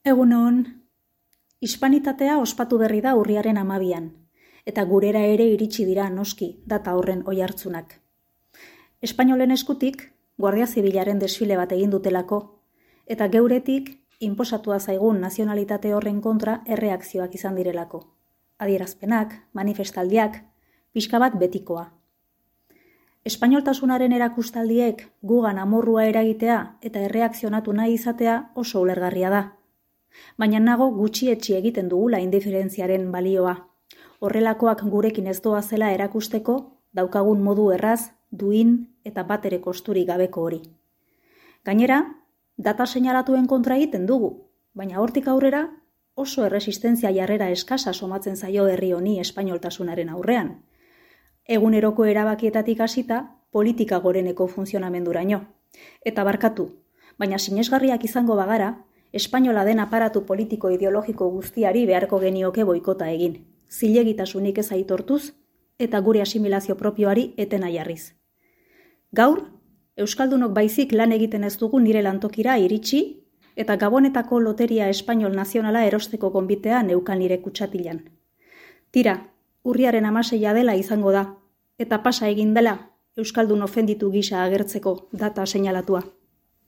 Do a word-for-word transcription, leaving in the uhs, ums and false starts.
Egunon, hispanitatea ospatu berri da urriaren hamabian, eta gurera ere iritsi dira noski data horren oihartzunak. Espainolen eskutik, Guardia Zibilaren desfile bat egin dutelako, eta geuretik inposatua zaigun nazionalitate horren kontra erreakzioak izan direlako. Adierazpenak, manifestaldiak, pixka bat betikoa. Espainoltasunaren erakustaldiek gugan amorrua eragitea eta erreakzionatu nahi izatea oso ulergarria da. Baina nago gutxietsi egiten dugula indiferentziaren balioa. Horrelakoak gurekin ez doa zela erakusteko daukagun modu erraz, duin eta batere kosturik gabeko hori. Gainera, data seinalatuen kontra egiten dugu, baina hortik aurrera oso erresistentzia jarrera eskasa somatzen zaio herri honi espainoltasunaren aurrean. Eguneroko erabakietatik hasita politika goreneko funtzionamenduraino. Eta barkatu, baina sinesgarriak izango bagara, espainola den aparatu politiko ideologiko guztiari beharko genioke boikota egin, zilegitasunik ez aitortuz eta gure asimilazio propioari etena jarriz. Gaur, euskaldunok baizik lan egiten ez dugu nire lantokira iritsi eta Gabonetako loteria espainol nazionala erosteko gonbitea neukan nire kutsatilan. Tira, urriaren hamaseia dela izango da, eta pasa egin dela euskaldun ofenditu gisa agertzeko data seinalatua.